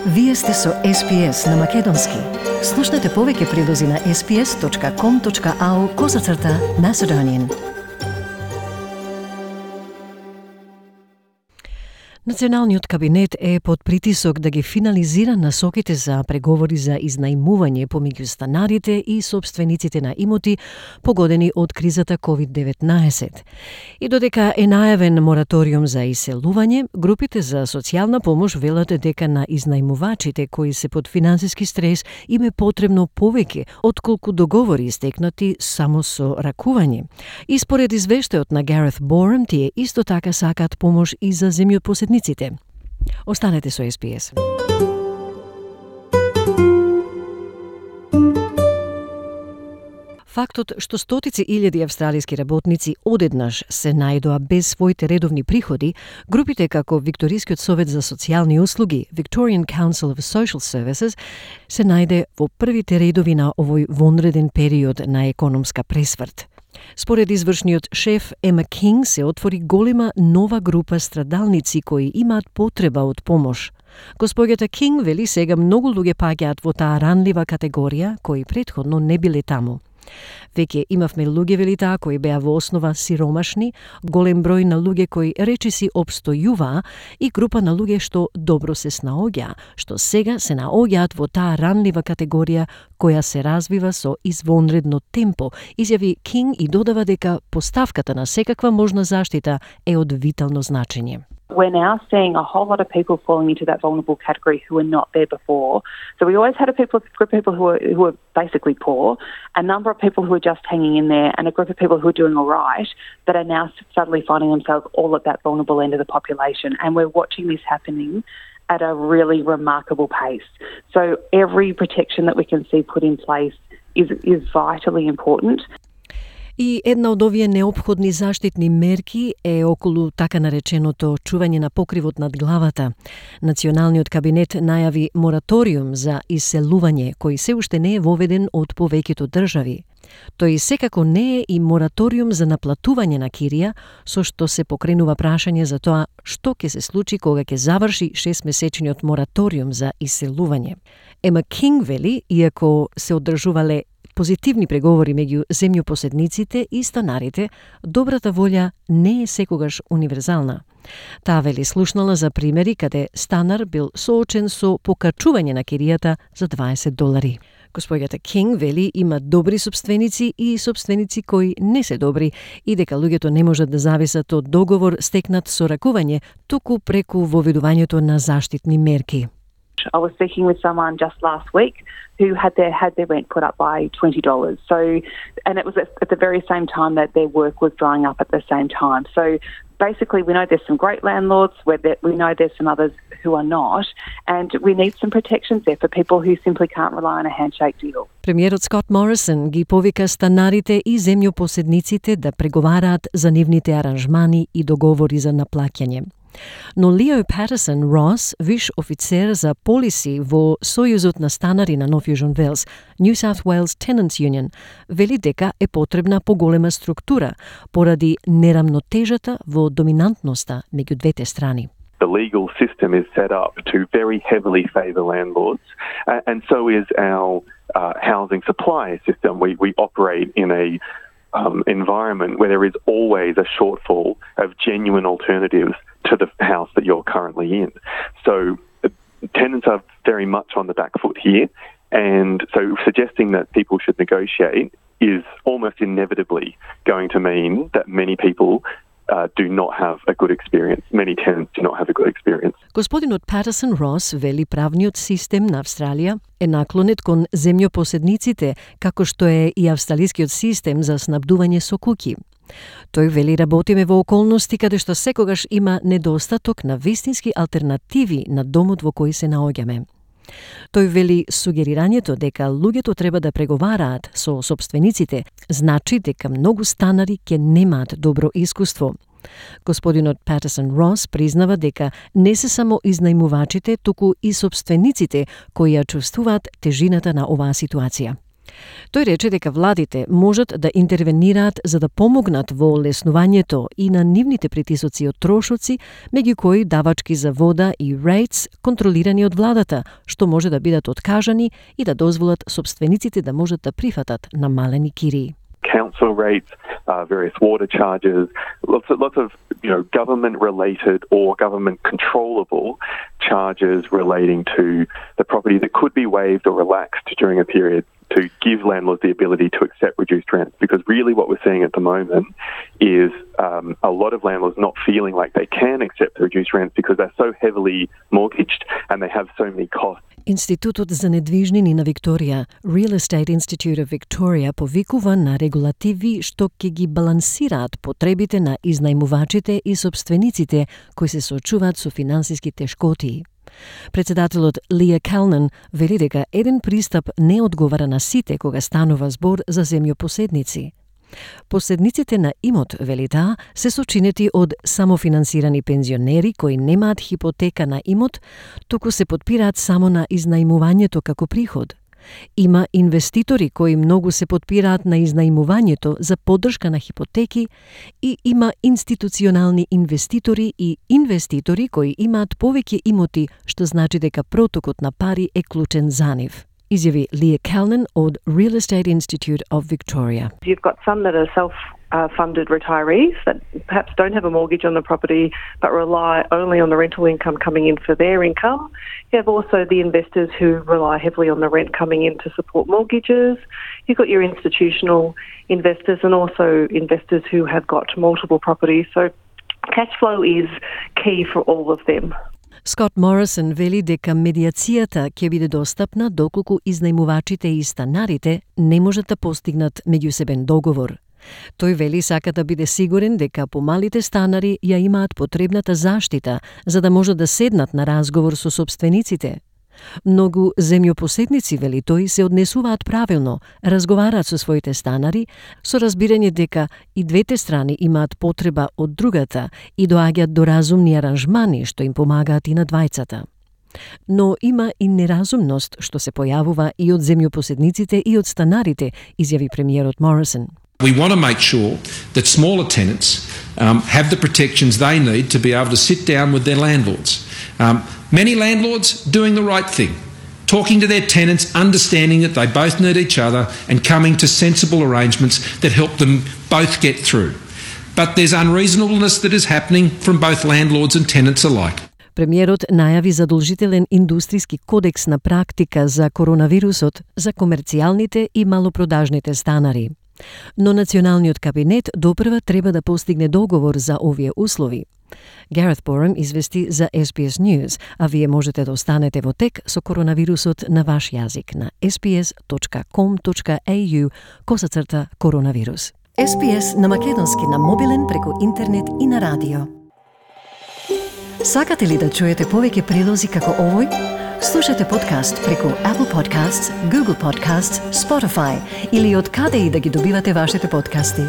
Вие сте со SPS на Македонски. Слушнете повеќе прилози на sps.com.au/Macedonian. Националниот кабинет е под притисок да ги финализира насоките за преговори за изнајмување помеѓу станарите и собствениците на имоти погодени од кризата COVID-19. И додека е најавен мораториум за иселување, групите за социјална помош велат дека на изнајмувачите кои се под финансиски стрес им е потребно повеќе отколку договори истекнати само со ракување. И според извештајот на Гарет Борем, тие исто така сакаат помош и за земјопоседниците. Останете со SPS. Фактот што стотици илјади австралиски работници одеднаш се најдоа без своите редовни приходи, групите како Викторискиот совет за социјални услуги, Victorian Council of Social Services, се најде во првите редови на овој вонреден период на економска пресврт. Според извршниот шеф Ема Кинг се отвори голема нова група страдалници кои имаат потреба од помош. Госпоѓата Кинг вели сега многу луѓе паѓаат во таа ранлива категорија кои претходно не биле таму. Веќе имавме луѓе, вели таа, кои беа во основа сиромашни, голем број на луѓе кои речиси обстојуваа и група на луѓе што добро се снаоѓаа, што сега се наоѓаат во таа ранлива категорија која се развива со извонредно темпо, изјави Кинг и додава дека поставката на секаква можна заштита е од витално значење. We're now seeing a whole lot of people falling into that vulnerable category who were not there before. So we always had a group of people who were basically poor, a number of people who were just hanging in there, and a group of people who are doing all right that are now suddenly finding themselves all at that vulnerable end of the population. And we're watching this happening at a really remarkable pace. So every protection that we can see put in place is vitally important. И една од овие неопходни заштитни мерки е околу така нареченото чување на покривот над главата. Националниот кабинет најави мораториум за иселување, кој се уште не е воведен од повеќето држави. Тој секако не е и мораториум за наплатување на кирија, со што се покренува прашање за тоа што ќе се случи кога ќе заврши 6-месечниот мораториум за иселување. Ема Кинг вели, иако се одржувале позитивни преговори меѓу земјопоседниците и станарите, добрата волја не е секогаш универзална. Таа вели слушнала за примери каде станар бил соочен со покачување на киријата за $20. Госпоѓата Кинг вели има добри собственици и собственици кои не се добри и дека луѓето не можат да зависат од договор стекнат со ракување, туку преку воведувањето на заштитни мерки. I was speaking with someone just last week who had their rent put up by $20. So, and it was at the very same time that their work was drying up at the same time. So basically we know there's some great landlords, we know there's some others who are not, and we need some protections there for people who simply can't rely on a handshake deal. Премиерот Скот Морисон ги повика станарите и земјопоседниците да преговараат за нивните аранжмани и договори за наплаќање. Но Лео Патерсон Рос, виш офицер за полиси во Сојузот на станари на Нов Јужен Велс, New South Wales Tenants Union, вели дека е потребна поголема структура поради нерамнотежата во доминантноста меѓу двете страни. The legal system is set up to very heavily favour landlords, and so is our housing supply system. We operate in a environment where there is always a shortfall of genuine alternatives to the house that you're currently in. So tenants are very much on the back foot here, and so suggesting that people should negotiate is almost inevitably going to mean that many people do not have a good experience. Many tenants do not have a good experience. Господинот Патерсон Рос вели правниот систем на Австралија е наклонет кон земјопоседниците, како што е и австралискиот систем за снабдување со куќи. Тој вели работиме во околности каде што секогаш има недостаток на вистински алтернативи на домот во кој се наоѓаме. Тој вели сугерирањето дека луѓето треба да преговараат со собствениците значи дека многу станари ќе немаат добро искуство. Господинот Патерсон Рос признава дека не се само изнајмувачите, туку и собствениците кои ја чувствуваат тежината на оваа ситуација. Тој рече дека владите можат да интервенираат за да помогнат во олеснувањето и на нивните притисоци од трошоци, меѓу кои давачки за вода и rates контролирани од владата, што може да бидат откажани и да дозволат собствениците да можат да прифатат намалени кирии. Council rates, various water charges, lots of government-related or government-controllable charges relating to the property that could be waived or relaxed during a period to give landlords the ability to accept reduced rent. Because really what we're seeing at the moment is a lot of landlords not feeling like they can accept the reduced rent because they're so heavily mortgaged and they have so many costs. Институтот за недвижнини на Викторија, Real Estate Institute of Victoria, повикува на регулативи што ќе ги балансираат потребите на изнајмувачите и собствениците кои се соочуваат со финансиски тешкоти. Председателот Лија Калнан вели дека еден пристап не одговара на сите кога станува збор за земјопоседници. Поседниците на имот, вели таа, се сочинети од самофинансирани пензионери кои немаат хипотека на имот, туку се потпираат само на изнајмувањето како приход. Има инвеститори кои многу се потпираат на изнајмувањето за поддршка на хипотеки и има институционални инвеститори и инвеститори кои имаат повеќе имоти, што значи дека протокот на пари е клучен за нив. Изјави Лија Калнан од Real Estate Institute of Victoria. You've got some that are self-funded retirees that perhaps don't have a mortgage on the property but rely only on the rental income coming in for their income. You have also the investors who rely heavily on the rent coming in to support mortgages. You've got your institutional investors and also investors who have got multiple properties. So cash flow is key for all of them. Скот Морисон вели дека медиацијата ќе биде достапна доколку изнајмувачите и станарите не можат да постигнат меѓусебен договор. Тој вели сака да биде сигурен дека помалите станари ја имаат потребната заштита за да можат да седнат на разговор со собствениците. Многу земјопоседници, вели тој, се однесуваат правилно, разговараат со своите станари, со разбирање дека и двете страни имаат потреба од другата и доаѓаат до разумни аранжмани што им помагаат и на двајцата. Но има и неразумност што се појавува и од земјопоседниците и од станарите, изјави премиерот Морисон. We want to make sure that smaller tenants have the protections they need to be able to sit down with their landlords. Many landlords doing the right thing, talking to their tenants, understanding that they both need each other and coming to sensible arrangements that help them both get through. But there's unreasonableness that is happening from both landlords and tenants alike. Премиерот најави задолжителен индустријски кодекс на практика за коронавирусот за комерцијалните и малопродажните станари. Но Националниот кабинет допрва треба да постигне договор за овие услови. Гарет Борем извести за SBS News, а вие можете да останете во тек со коронавирусот на ваш јазик на sbs.com.au/коронавирус. SBS на македонски на мобилен преку интернет и на радио. Сакате ли да чуете повеќе прилози како овој? Слушате подкаст преку Apple Podcasts, Google Podcasts, Spotify или од каде и да ги добивате вашите подкасти.